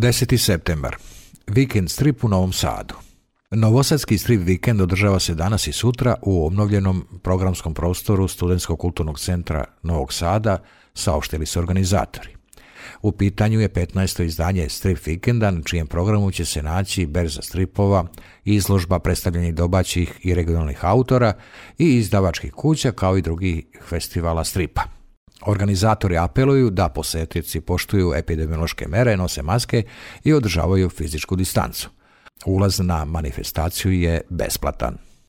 10. septembar. Vikend strip u Novom Sadu. Novosadski strip vikend održava se danas i sutra u obnovljenom programskom prostoru Studentskog kulturnog centra Novog Sada, saopštili su organizatori. U pitanju je 15. izdanje strip vikenda, na čijem programu će se naći berza stripova, izložba predstavljanja domaćih i regionalnih autora i izdavačkih kuća, kao i drugih festivala stripa. Organizatori apeluju da posetioci poštuju epidemiološke mere, nose maske i održavaju fizičku distancu. Ulaz na manifestaciju je besplatan.